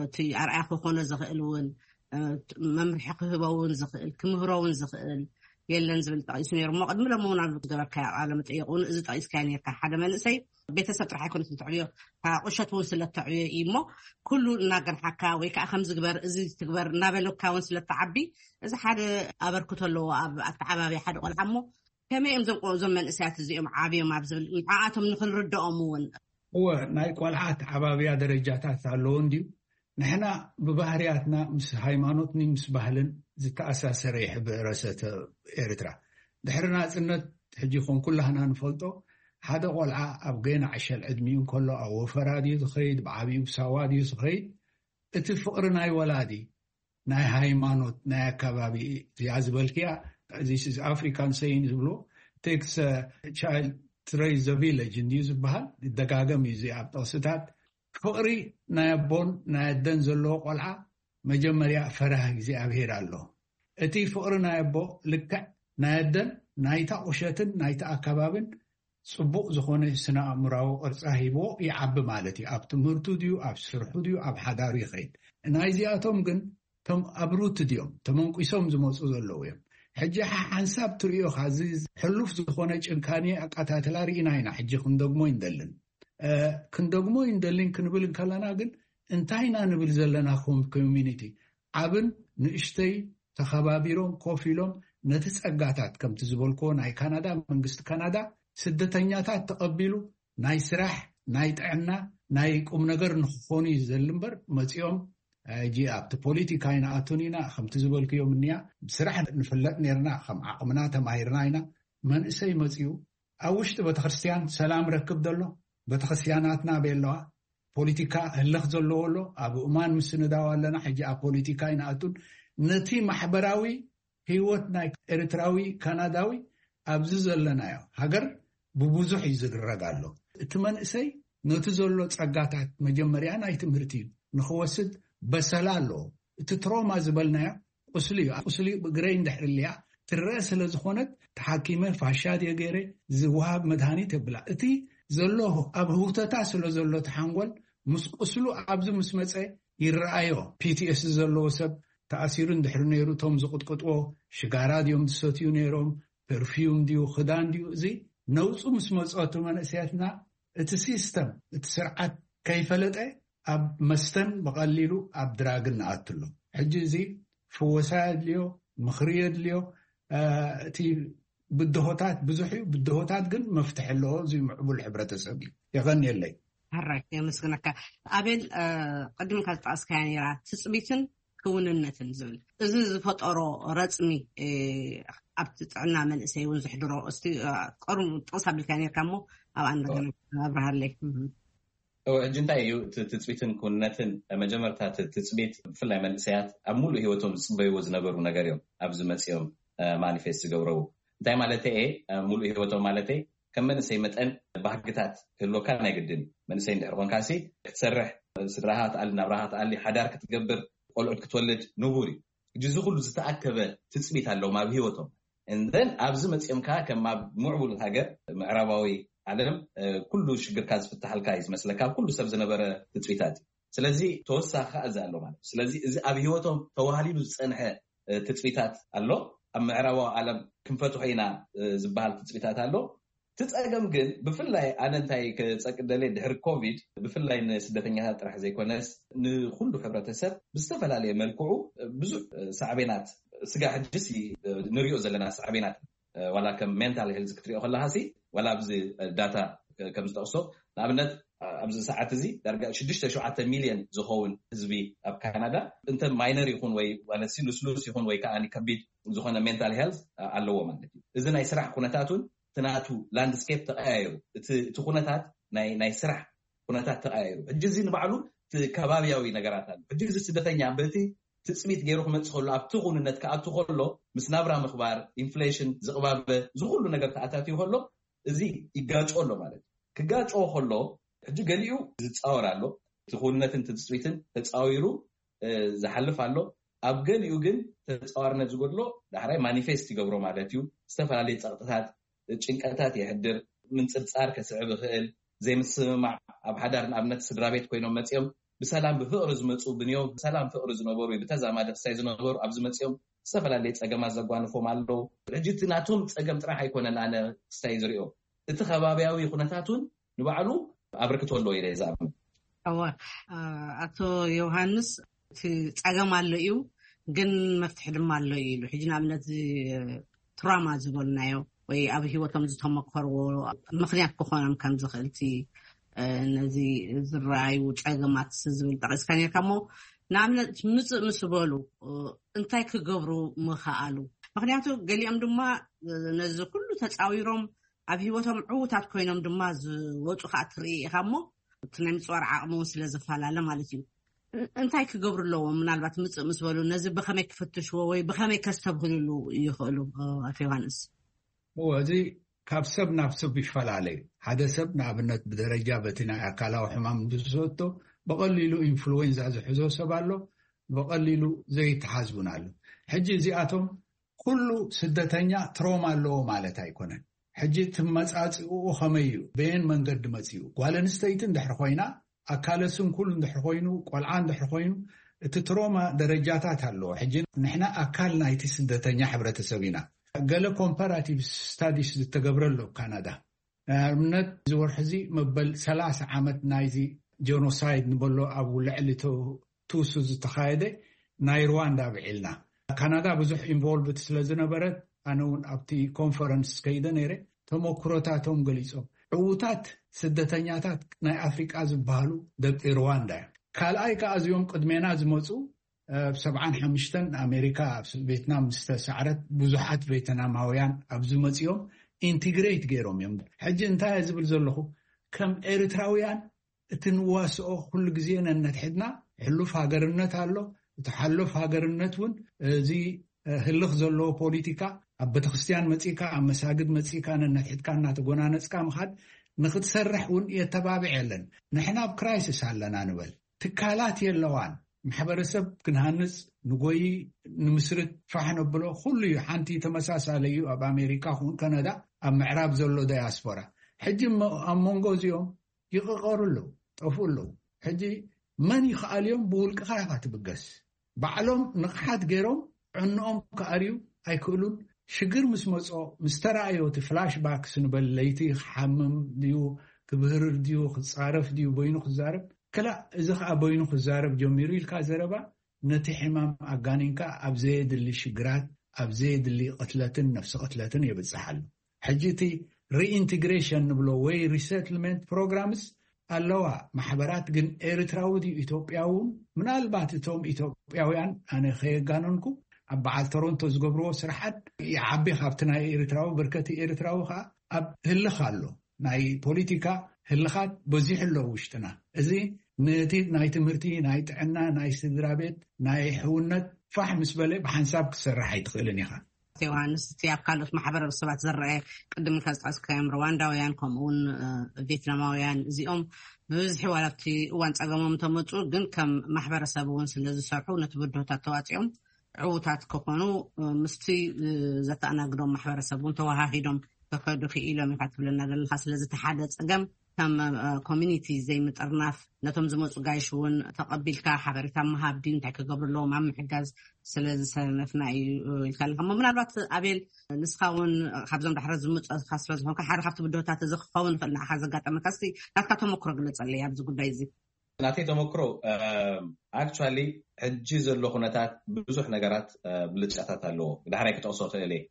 እቲ ኣርኣያ ክኾኖ ዝኽእል እውን መምርሒ ክህቦ እውን ዝኽእል ክምህሮ እውን ዝኽእል የለን ዝብል ጠቒሱ ነይሩ። እሞ ቅድሚ ሎም እውን ኣብ ዝገበርካዮ ቃለ መጠይቕ እውን እዚ ጠቒስካዮ ነርካ። ሓደ መንእሰይ ቤተሰብ ጥራሕ ኣይኮነትን ትዕብዮ፣ ቁሸት እውን ስለተዕብዮ እዩ። እሞ ኩሉ እናገርሓካ ወይ ከዓ ከምዚ ግበር እዚ ትግበር እናበለካ እውን ስለተዓቢ እዚ ሓደ ኣበርክቶ ኣለዎ ኣብ ኣተዓባብያ ሓደ ቆልዓ። እሞ ከመይ እዮም ዞም መንእሰያት እዚኦም ዓብዮም ኣብ ዝብል ንዓኣቶም ንክንርድኦም እውን እወ ናይ ቆልዓ ኣተዓባብያ ደረጃታት ኣለዎ እንድዩ። ንሕና ብባህርያትና ምስ ሃይማኖትኒ ምስ ባህልን ዝተኣሳሰረ ሕብረተሰብ ኤርትራ። ድሕሪ ናጽነት ሕጂ ኾን ኩላህና ንፈልጦ ሓደ ቆልዓ ኣብ ገና ዕሸል ዕድሚኡ እንከሎ ኣብ ወፈራ ድዩ ዝኸይድ ብዓብዩ ብሳዋ ድዩ ዝኸይድ እቲ ፍቕሪ ናይ ወላዲ ናይ ሃይማኖት ናይ ኣካባቢ እዚኣ ዝበልክያ እዚ ኣፍሪካን ሰይን ዝብሎ ቴክስ ቻይልድ ትሬስ ዘ ቪለጅ እንድዩ ዝበሃል ይደጋገም እዩ እዚ ኣብ ጥቕስታት ፍቕሪ ናይ ኣቦን ናይ ኣደን ዘለዎ ቆልዓ መጀመርያ ፈራህ እግዚኣብሄር ኣሎ። እቲ ፍቕሪ ናይ ኣቦ ልክዕ ናይ ኣደን ናይታ ቁሸትን ናይቲ ኣካባብን ጽቡቕ ዝኾነ ስነ ኣእምራዊ ቅርጻ ሂብዎ ይዓቢ ማለት እዩ። ኣብ ትምህርቱ ድዩ ኣብ ስርሑ ድዩ ኣብ ሓዳሩ ይኸይድ። ናይዚኣቶም ግን ቶም ኣብ ሩት ድዮም ተመንቂሶም ዝመፁ ዘለዉ እዮም። ሕጂ ሓንሳብ ትርእዮ ካዚ ሕሉፍ ዝኾነ ጭንካኔ ኣቃታትላ ርኢና ኢና። ሕጂ ክንደግሞ ይንደልን ክንደግሞ ይንደልን ክንብል እንከለና ግን እንታይ ኢና ንብል ዘለና ኮም ኮሚኒቲ ዓብን ንእሽተይ ተኸባቢሮም ኮፍ ኢሎም ነቲ ጸጋታት ከምቲ ዝበልክዎ ናይ ካናዳ መንግስቲ ካናዳ ስደተኛታት ተቐቢሉ ናይ ስራሕ ናይ ጥዕና ናይ ቁም ነገር ንክኾኑ እዩ ዘል እምበር መፂኦም ሕጂ ኣብቲ ፖለቲካ ይንኣቱን ኢና ከምቲ ዝበልክዮም እኒያ ብስራሕ ንፍለጥ ነርና ከም ዓቕምና ተማሂርና ኢና መንእሰይ መፂኡ ኣብ ውሽጢ ቤተክርስትያን ሰላም ረክብ ዘሎ ቤተክርስትያናትና ኣበይ ኣለዋ ፖለቲካ ህልኽ ዘለዎ ኣሎ ኣብ እማን ምስንዳው ኣለና ሕጂ ኣብ ፖለቲካ ይንኣቱን ነቲ ማሕበራዊ ህይወት ናይ ኤርትራዊ ካናዳዊ ኣብዚ ዘለናዮ ሃገር ብብዙሕ እዩ ዝድረግ ኣሎ። እቲ መንእሰይ ነቲ ዘሎ ጸጋታት መጀመርያ ናይ ትምህርቲ እዩ ንኽወስድ በሰላ ኣለዎ። እቲ ትሮማ ዝበልናዮ ቁስሊ እዩ። ቁስሊ ብግረይ እንድሕር ልያ ትረአ ስለ ዝኾነት ተሓኪመ ፋሻ ድየ ገይረ ዝወሃብ መድሃኒት የብላ። እቲ ዘሎ ኣብ ህውተታ ስለ ዘሎ ተሓንጎል ምስ ቁስሉ ኣብዚ ምስ መፀ ይረኣዮ። ፒቲኤስ ዘለዎ ሰብ ተኣሲሩ እንድሕሪ ነይሩ እቶም ዝቕጥቅጥዎ ሽጋራ ድዮም ዝሰትዩ ነይሮም ፐርፊዩም ድዩ ክዳን ድዩ እዚ ነውፁ ምስ መፀቱ መንእሰያትና እቲ ሲስተም እቲ ስርዓት ከይፈለጠ ኣብ መስተን ብቐሊሉ ኣብ ድራግን ንኣትሎ ሕጂ እዚ ፍወሳ የድልዮ ምኽሪ የድልዮ እቲ ብድሆታት ብዙሕ እዩ ብድሆታት ግን መፍትሒ ኣለዎ እዚ ምዕቡል ሕብረተሰብ እዩ የቐንየለይ ሕራይ የመስግነካ ኣቤል ቅድም ካብ ዝጠቐስካያ ነራ ትፅቢትን ክውንነትን ዝብል እዚ ዝፈጠሮ ረፅሚ ኣብቲ ጥዕና መንእሰይ እውን ዝሕድሮ እስቲ ቀርሙ ጥቕስ ኣቢልካ ነርካ እሞ ኣብኣ እንደገና ኣብርሃለይ ሕጂ እንታይ እዩ እቲ ትፅቢትን ክውንነትን? መጀመርታ እቲ ትፅቢት ብፍላይ መንእሰያት ኣብ ሙሉእ ህይወቶም ዝፅበይዎ ዝነበሩ ነገር እዮም። ኣብዚ መፂኦም ማኒፌስት ዝገብረው እንታይ ማለት እየ? ሙሉእ ህይወቶም ማለት ከም መንእሰይ መጠን ባህግታት ክህልወካ ናይ ግድን። መንእሰይ እንድሕር ኮንካሲ ክትሰርሕ፣ ስድራኻ ክትኣሊ፣ ናብራኻ ክትኣሊ፣ ሓዳር ክትገብር፣ ቆልዑት ክትወልድ ንቡር እዩ። ሕጂ እዚ ኩሉ ዝተኣከበ ትፅቢት ኣለዎም ኣብ ህይወቶም። እንደን ኣብዚ መፂኦም ከዓ ከም ኣብ ምዕቡል ሃገር ምዕራባዊ ዓለም ኩሉ ሽግርካ ዝፍትሓልካ እዩ ዝመስለካ፣ ኩሉ ሰብ ዝነበረ ትፅቢታት እዩ። ስለዚ ተወሳኺ ከዓ እዚ ኣሎ ማለት እዩ። ስለዚ እዚ ኣብ ህይወቶም ተዋህሊሉ ዝፀንሐ ትፅቢታት ኣሎ። ኣብ ምዕራባዊ ዓለም ክንፈትሖ ኢና ዝበሃል ትፅቢታት ኣሎ። እቲ ፀገም ግን ብፍላይ ኣነ እንታይ ክፀቅደለ ድሕሪ ኮቪድ ብፍላይ ንስደተኛታት ጥራሕ ዘይኮነስ ንኩሉ ሕብረተሰብ ብዝተፈላለየ መልክዑ ብዙሕ ሳዕቤናት ስጋ ሕጅስ ንሪኦ ዘለና ሳዕቤናት ዋላ ከም ሜንታል ሄልዝ ክትሪኦ ከለካ ሲ ዋላ ኣብዚ ዳታ ከም ዝጠቅሶ ንኣብነት ኣብዚ ሰዓት እዚ ዳርጋ ሽዱሽተ ሸውዓተ ሚልዮን ዝኸውን ህዝቢ ኣብ ካናዳ እንተ ማይነር ይኹን ወይ ማለት ሲ ልስሉስ ይኹን ወይ ከዓ ከቢድ ዝኾነ ሜንታል ሄልዝ ኣለዎ ማለት እዩ። እዚ ናይ ስራሕ ኩነታት እውን እቲ ናቱ ላንድስኬፕ ተቀያየሩ። እቲ ኩነታት ናይ ስራሕ ኩነታት ተቀያየሩ። ሕጂ እዚ ንባዕሉ እቲ ከባቢያዊ ነገራት ኣሎ። ሕጂ እዚ ስደተኛ በቲ ትፅቢት ገይሩ ክመፅእ ከሎ ኣብቲ ኩንነት ክኣቱ ከሎ ምስ ናብራ ምኽባር ኢንፍሌሽን ዝቕባበ ዝኩሉ ነገር ተኣታትዩ ከሎ እዚ ይጋጮ ኣሎ ማለት እዩ። ክጋጮ ከሎ ሕጂ ገሊኡ ዝፃወር ኣሎ። እቲ ኩንነትን ትፅቢትን ተፃዊሩ ዝሓልፍ ኣሎ። ኣብ ገሊኡ ግን ተፃዋርነት ዝጎድሎ ዳሕራይ ማኒፌስት ይገብሮ ማለት እዩ። ዝተፈላለዩ ፀቕጥታት፣ ጭንቀታት የሕድር። ምንፅርፃር ከስዕብ ይኽእል። ዘይምስምማዕ ኣብ ሓዳር ንኣብነት ስድራ ቤት ኮይኖም መፂኦም ብሰላም ብፍቕሪ ዝመፁ ብንዮ ብሰላም ፍቕሪ ዝነበሩ ብተዛማዲ ክስታይ ዝነበሩ ኣብዚ መፂኦም ዝተፈላለየ ፀገማት ዘጓንፎም ኣለዉ። ሕጂ እቲ ናቶም ፀገም ጥራሕ ኣይኮነን ኣነ ክስታይ ዝሪኦ እቲ ከባቢያዊ ኩነታት እውን ንባዕሉ ኣበርክቶ ኣለዎ ኢለ ዝኣምን። እወ ኣቶ ዮሃንስ እቲ ፀገም ኣሎ እዩ ግን መፍትሒ ድማ ኣሎ እዩ ኢሉ ሕጂ ንኣብነት ትራማ ዝበልናዮ ወይ ኣብ ህይወቶም ዝተመከርዎ ምክንያት ክኾኖም ከም ዝኽእል እቲ ነዚ ዝረኣዩ ፀገማት ዝብል ጠቂስካ ነርካ እሞ ንኣብነት ምፅእ ምስ በሉ እንታይ ክገብሩ ምኸኣሉ? ምክንያቱ ገሊኦም ድማ ነዚ ኩሉ ተፃዊሮም ኣብ ህይወቶም ዕዉታት ኮይኖም ድማ ዝወፁ ከዓ ትርኢ ኢኻ እሞ እቲ ናይ ምፅዋር ዓቕሚ እውን ስለ ዝፈላለ ማለት እዩ። እንታይ ክገብሩ ኣለዎም? ምናልባት ምፅእ ምስ በሉ ነዚ ብኸመይ ክፍትሽዎ ወይ ብኸመይ ከስተብህልሉ ይኽእሉ? ኣቶ ዮሃንስ። እዚ ካብ ሰብ ናብ ሰብ ይፈላለ እዩ። ሓደ ሰብ ንኣብነት ብደረጃ በቲ ናይ ኣካላዊ ሕማም ዝሰቶ ብቐሊሉ ኢንፍሉዌንዛ ዝሕዞ ሰብ ኣሎ፣ ብቐሊሉ ዘይተሓዝቡን ኣሎ። ሕጂ እዚኣቶም ኩሉ ስደተኛ ትሮማ ኣለዎ ማለት ኣይኮነን። ሕጂ ትመፃፅኡ ከመይ እዩ? በየን መንገዲ መፅኡ? ጓል ኣንስተይቲ እንድሕር ኮይና ኣካለ ስንኩል እንድሕር ኮይኑ ቆልዓ እንድሕር ኮይኑ እቲ ትሮማ ደረጃታት ኣለዎ። ሕጂ ንሕና ኣካል ናይቲ ስደተኛ ሕብረተሰብ ኢና። ገለ ኮምፓራቲቭ ስታዲስ ዝተገብረ ኣሎ ካናዳ ንኣብነት እዚ ወርሒ እዚ መበል ሰላሳ ዓመት ናይዚ ጀኖሳይድ ንበሎ ኣብ ልዕሊ ቱሱ ዝተኻየደ ናይ ሩዋንዳ ኣብዒልና። ካናዳ ብዙሕ ኢንቮልቭድ ስለ ዝነበረት ኣነ እውን ኣብቲ ኮንፈረንስ ከይደ ነይረ። ተመክሮታቶም ገሊፆም። ዕዉታት ስደተኛታት ናይ ኣፍሪቃ ዝበሃሉ ደቂ ሩዋንዳ እዮም። ካልኣይ ከዓ እዚኦም ቅድሜና ዝመፁ ኣብ ሰብዓን ሓሙሽተን ኣሜሪካ ኣብ ቬትናም ዝተሳዕረት ብዙሓት ቬትናማውያን ኣብዚ መፂኦም ኢንቲግሬት ገይሮም እዮም። ሕጂ እንታይ ዝብል ዘለኹ ከም ኤርትራውያን እቲ ንዋስኦ ኩሉ ግዜ ነነትሕድና ሕሉፍ ሃገርነት ኣሎ። እቲ ሓሉፍ ሃገርነት እውን እዚ ህልኽ ዘለዎ ፖሊቲካ ኣብ ቤተክርስትያን መፂእካ ኣብ መሳግድ መፂእካ ነነትሕድካ እናተጎናነፅካ ምኻድ ንክትሰርሕ እውን የተባብዕ የለን። ንሕና ኣብ ክራይሲስ ኣለና ንበል። ትካላት የለዋን። ማሕበረሰብ ክንሃንፅ ንጎይ ንምስርት ፋሕ ነብሎ ኩሉ እዩ። ሓንቲ ተመሳሳለ እዩ። ኣብ ኣሜሪካ ኹን ከነዳ ኣብ ምዕራብ ዘሎ ዳያስፖራ ሕጂ ኣብ መንጎ እዚኦም ይቕቐሩ ኣለዉ፣ ጠፍኡ ኣለዉ። ሕጂ መን ይኽኣል እዮም? ብውልቅኻ ኢኻ ትብገስ። ባዕሎም ንቕሓት ገይሮም ዕንኦም ክኣርዩ ኣይክእሉን። ሽግር ምስ መጾ ምስ ተራእዮ እቲ ፍላሽ ባክስ ንበል ለይቲ ክሓምም ድዩ ክብህርር ድዩ ክጻረፍ ድዩ በይኑ ክዛረብ ክላእ እዚ ከዓ በይኑ ክዛረብ ጀሚሩ ኢልካ ዘረባ ነቲ ሕማም ኣጋኒንካ ኣብ ዘየድሊ ሽግራት ኣብ ዘየድሊ ቅትለትን ነፍሲ ቅትለትን የብጽሓሉ። ሕጂ እቲ ሪኢንትግሬሽን ንብሎ ወይ ሪሰትልመንት ፕሮግራምስ ኣለዋ ማሕበራት ግን ኤርትራዊ ድዩ ኢትዮጵያዊ እውን ምናልባት እቶም ኢትዮጵያውያን ኣነ ከየጋነንኩ ኣብ በዓል ቶሮንቶ ዝገብርዎ ስራሓት ይዓቢ ካብቲ ናይ ኤርትራዊ ብርከቲ ኤርትራዊ ከዓ ኣብ ህልኽ ኣሎ። ናይ ፖለቲካ ህልኻት በዚሑ ኣሎ ውሽጥና። እዚ ነቲ ናይ ትምህርቲ፣ ናይ ጥዕና፣ ናይ ስድራ ቤት፣ ናይ ሕውነት ፋሕ ምስ በለ ብሓንሳብ ክትሰርሕ ኣይትኽእልን ኢኻ። ዮሃንስ፣ እቲ ኣብ ካልኦት ማሕበረሰባት ዝረአ፣ ቅድም ኢልካ ዝጠቀስካዮም ሩዋንዳውያን፣ ከምኡ እውን እ፣ ቪየትናማውያን፣ እዚኦም ብብዝሒ ዋላ ኣብቲ እዋን ጸገሞም ተመጹ፣ ግን ከም ማሕበረሰብ እውን ስለ ዝሰርሑ፣ ነቲ ብድሆታት ተዋጺኦም ዕዉታት ክኾኑ፣ እ፣ ምስቲ እ፣ ዘተኣናግዶም ማሕበረሰብ እውን ተወሃሂዶም ክኸዱ ክኢሎም ኢኻ ትብለና ዘለኻ። ስለዚ እቲ ሓደ ጸገም ከም ኮሚኒቲ ዘይምጥርናፍ፣ ነቶም ዝመፁ ጋይሽ እውን ተቐቢልካ ሓበሬታ ምሃብ ድዩ፣ እንታይ ክገብሩ ኣለዎም ኣብ ምሕጋዝ ስለ ዝሰነፍና እዩ ኢልካ ኣለካ እሞ፣ ምናልባት ኣቤል፣ ንስኻ እውን ካብዞም ዳሕረ ዝመፁ ስለ ዝኾንካ ሓደ ካብቲ ብድሆታት እዚ ክኸውን ይኽእል ንዓኻ ዘጋጠመካ፣ እስቲ ናትካ ተመክሮ ግለፀለይ ኣብዚ ጉዳይ እዚ። ናተይ ተመክሮ ኣክቹዋሊ ሕጂ ዘሎ ኩነታት ብዙሕ ነገራት ብልጫታት ኣለዎ። ብዳሕራይ ክጠቕሶ ክእል እየ።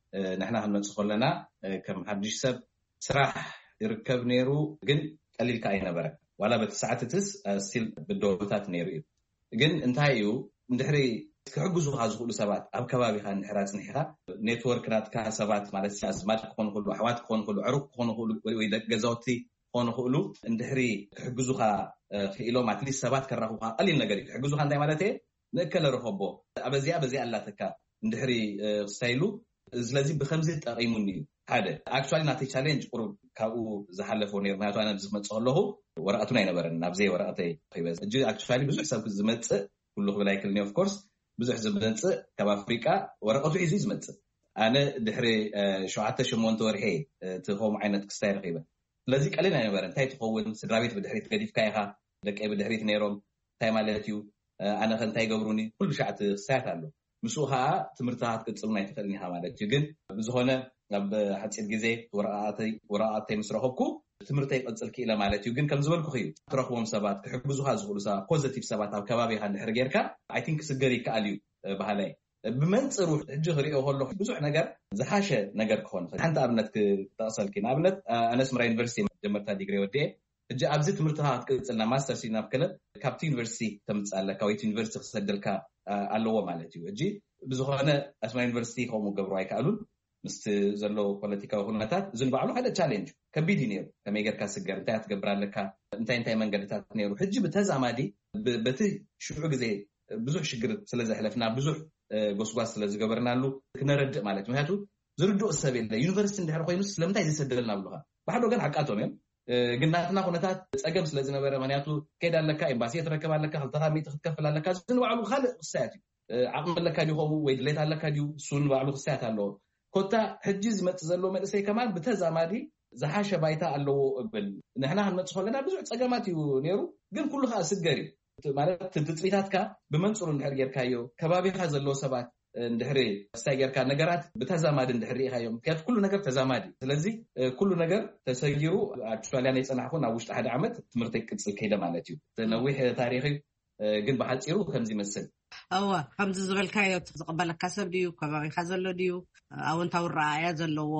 ንሕና ክንመፅእ ከለና ከም ሓድሽ ሰብ ስራሕ ይርከብ ነይሩ፣ ግን ቀሊል ከኣ ኣይነበረ። ዋላ በቲ ሰዓት እትስ ስቲል ብድሆታት ነይሩ እዩ። ግን እንታይ እዩ፣ እንድሕሪ ክሕግዙኻ ዝኽእሉ ሰባት ኣብ ከባቢኻ እንድሕር ኣፅኒሕኻ፣ ኔትወርክ ናትካ ሰባት ማለት ኣዝማድ ክኾኑ ክእሉ፣ ኣሕዋት ክኾኑ ክእሉ፣ ዕሩቅ ክኾኑ ክእሉ፣ ወይ ደቂ ገዛውቲ ክኾኑ ክእሉ፣ እንድሕሪ ክሕግዙኻ ክኢሎም ኣትሊስት ሰባት ከራኽቡኻ ቀሊል ነገር እዩ። ክሕግዙኻ እንታይ ማለት እየ፣ ንእከለ ረኸቦ፣ ኣበዚኣ በዚኣ ኣላተካ እንድሕሪ ክስታይሉ፣ ስለዚ ብከምዚ ጠቂሙኒ እዩ። ሓደ ኣክቹዋሊ ናተይ ቻሌንጅ ቁሩብ ካብኡ ዝሓለፈ ነይሩ። ምክንያቱ ኣነ ኣብዚ ክመፅእ ከለኹ ወረቀቱን ኣይነበረን፣ ናብዘይ ወረቀተይ ኺበ እጂ ኣክቹዋሊ ብዙሕ ሰብ ዝመፅእ፣ ኩሉ ክብል ኣይክልኒ ኦፍኮርስ፣ ብዙሕ ዝመፅእ ካብ ኣፍሪቃ ወረቀቱ ሒዙ እዩ ዝመፅእ። ኣነ ድሕሪ ሸውዓተ ሸሞንተ ወርሒ እቲ ከምኡ ዓይነት ክስታይ ረኺበ። ስለዚ ቀሊል ኣይነበረን። እንታይ ትኸውን፣ ስድራ ቤት ብድሕሪት ገዲፍካ ኢኻ፣ ደቀይ ብድሕሪት ነይሮም፣ እንታይ ማለት እዩ፣ ኣነ ከ እንታይ ይገብሩኒ፣ ኩሉ ሻዕ እቲ ክስታያት ኣሎ። ምስኡ ከዓ ትምህርትኻ ክትቅፅል ኣይትኽእልን ኢኻ ማለት እዩ። ግን ብዝኾነ ኣብ ሓፂር ግዜ ወረቃተይ ምስ ረኸብኩ ትምህርተይ ይቅፅል ክኢለ ማለት እዩ። ግን ከም ዝበልኩ እዩ፣ ትረኽቦም ሰባት፣ ክሕግዙኻ ዝኽእሉ ሰባት፣ ፖዘቲቭ ሰባት ኣብ ከባቢኻ እንድሕር ጌርካ፣ ኣይ ቲንክ ክስገር ይከኣል እዩ። ባህላይ ብመንፅሩ ሕጂ ክሪኦ ከለኹ ብዙሕ ነገር ዝሓሸ ነገር ክኾን ይኽእል። ሓንቲ ኣብነት ክጠቕሰልኪ፣ ንኣብነት ኣነ ኣስመራ ዩኒቨርሲቲ መጀመርታ ዲግሪ ወዲኤ፣ ሕጂ ኣብዚ ትምህርትኻ ክትቅፅልና ማስተርስ ናብ ክለብ ካብቲ ዩኒቨርሲቲ ተምፅእ ኣለካ ወይ ዩኒቨርሲቲ ክሰደልካ ኣለዎ ማለት እዩ። ሕጂ ብዝኾነ ኣስመራ ዩኒቨርሲቲ ከምኡ ገብሩ ኣይከኣሉን። ምስቲ ዘሎ ፖለቲካዊ ኩነታት እዚ ንባዕሉ ሓደ ቻሌንጅ ከቢድ እዩ ነይሩ። ከመይ ጌርካ ስገር፣ እንታይ ክትገብር ኣለካ፣ እንታይ እንታይ መንገድታት ነይሩ። ሕጂ ብተዛማዲ በቲ ሽዑ ግዜ ብዙሕ ሽግር ስለ ዘሕለፍና፣ ብዙሕ ጎስጓስ ስለ ዝገበርናሉ ክነረድእ ማለት እዩ። ምክንያቱ ዝርድኦ ሰብ የለ። ዩኒቨርሲቲ እንድሕር ኮይኑ ስለምንታይ ዘይሰደልና ብሉካ። ብሓደ ወገን ሓቃቶም እዮም፣ ግን ናትና ኩነታት ፀገም ስለ ዝነበረ፣ ምክንያቱ ከይድ ኣለካ፣ ኤምባሲ ክትረክብ ኣለካ፣ ክልተ ካብ ሚእቲ ክትከፍል ኣለካ። እዚ ንባዕሉ ካልእ ክሳያት እዩ። ዓቕሚ ኣለካ ድዩ ከምኡ፣ ወይ ድሌት ኣለካ ድዩ፣ እሱ ንባዕሉ ክሳያት ኣለዎ። ኮታ ሕጂ ዝመፅእ ዘሎ መንእሰይ ከማን ብተዛማዲ ዝሓሸ ባይታ ኣለዎ እብል። ንሕና ክንመፅእ ከለና ብዙሕ ፀገማት እዩ ነይሩ፣ ግን ኩሉ ከዓ ስገር እዩ። ማለት ትፅቢታትካ ብመንፅሩ እንድሕር ጌርካዮ፣ ከባቢኻ ዘለዎ ሰባት እንድሕሪ ክስታይ ጌርካ፣ ነገራት ብተዛማዲ እንድሕር ርኢኻዮም፣ ምክንያቱ ኩሉ ነገር ተዛማዲ። ስለዚ ኩሉ ነገር ተሰጊሩ፣ ኣውስትራልያ ናይ ፀናሕኩ ናብ ውሽጢ ሓደ ዓመት ትምህርተይ ክቅፅል ከይደ ማለት እዩ። ነዊሕ ታሪክ እዩ፣ ግን ብሓፂሩ ከምዚ ይመስል። እወ፣ ከምዚ ዝበልካዮ፣ ዝቕበለካ ሰብ ድዩ፣ ከባቢኻ ዘሎ ድዩ፣ ኣወንታዊ ረኣያ ዘለዎ፣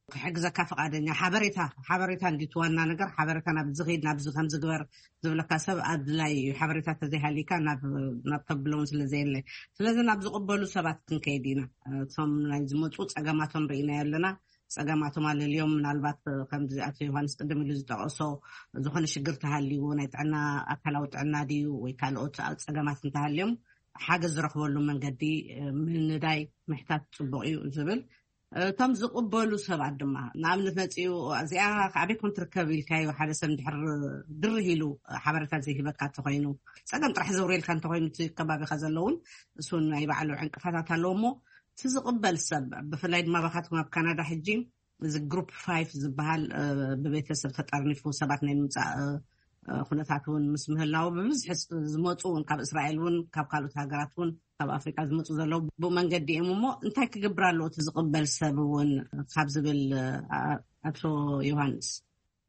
ክሕግዘካ ፍቓደኛ፣ ሓበሬታ ሓበሬታ እንዲ እቲ ዋና ነገር፣ ሓበሬታ ናብዚ ኺድ፣ ናብዚ ከምዚ ግበር ዝብለካ ሰብ ኣድላይ እዩ። ሓበሬታ ተዘይሃሊካ ናብ ናብ ተብሎ እውን ስለ ዘየለ፣ ስለዚ ናብ ዝቕበሉ ሰባት ክንከይድ ኢና። እቶም ናይ ዝመፁ ፀገማቶም ርኢናዮ ኣለና። ፀገማቶም ኣለልዮም፣ ምናልባት ከምዚ ኣቶ ዮሃንስ ቅድም ኢሉ ዝጠቐሶ ዝኾነ ሽግር ተሃልይዎ፣ ናይ ጥዕና፣ ኣካላዊ ጥዕና ድዩ ወይ ካልኦት ፀገማት እንተሃልዮም፣ ሓገዝ ዝረኽበሉ መንገዲ ምንዳይ ምሕታት ፅቡቕ እዩ ዝብል። እቶም ዝቕበሉ ሰባት ድማ፣ ንኣብነት መፂኡ፣ እዚኣ ኣበይ ኮን ትርከብ ኢልካዮ፣ ሓደ ሰብ እንድሕር ድርህ ኢሉ ሓበሬታ ዘይህበካ እንተኮይኑ፣ ፀገም ጥራሕ ዘውርየልካ እንተኮይኑ፣ እቲ ከባቢካ ዘለውን እሱን ናይ ባዕሉ ዕንቅፋታት ኣለዎ እሞ፣ እቲ ዝቕበል ሰብ፣ ብፍላይ ድማ ባካትኩም ኣብ ካናዳ ሕጂ እዚ ግሩፕ ፋይፍ ዝበሃል ብቤተሰብ ተጠርኒፉ ሰባት ናይ ምምፃእ ኩነታት እውን ምስ ምህላው፣ ብብዝሒ ዝመፁ እውን ካብ እስራኤል እውን ካብ ካልኦት ሃገራት እውን ካብ ኣፍሪቃ ዝመፁ ዘለዉ ብኡ መንገዲ እዮም እሞ፣ እንታይ ክገብር ኣለዎ እቲ ዝቕበል ሰብ እውን ካብ ዝብል ኣቶ ዮሃንስ?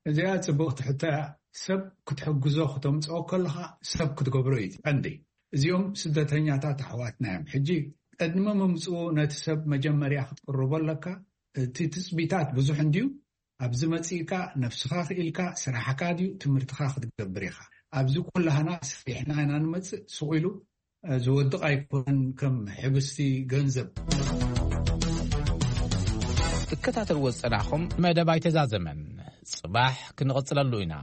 እዚኣ ጽብቕቲ ሕቶ እያ። ሰብ ክትሕግዞ ክተምጽኦ ከለኻ ሰብ ክትገብሮ እዩ ቀንዲ። እዚኦም ስደተኛታት ኣሕዋትና እዮም። ሕጂ ቅድሚ ምምጽኡ ነቲ ሰብ መጀመርያ ክትቅርቦ ኣለካ። እቲ ትጽቢታት ብዙሕ እንድዩ። ኣብዚ መጺእካ ነብስኻ ክኢልካ ስራሕካ ድዩ ትምህርትኻ ክትገብር ኢኻ። ኣብዚ ኩላህና ሰሪሕና ኢና ንመጽእ። ስቕ ኢሉ ዝወድቕ ኣይኮነን ከም ሕብስቲ ገንዘብ። ትከታተልዎ ዝጸናሕኹም መደብ ኣይተዛዘመን። ጽባሕ ክንቕጽለሉ ኢና።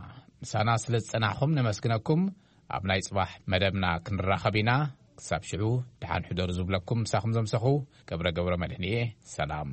ምሳና ስለ ዝጸናሕኹም ነመስግነኩም። ኣብ ናይ ጽባሕ መደብና ክንራኸብ ኢና። ክሳብ ሽዑ ደሓን ሕደሩ ዝብለኩም ምሳኹም ዘምሰኹ ገብረ ገብረ መድህን እየ። ሰላም።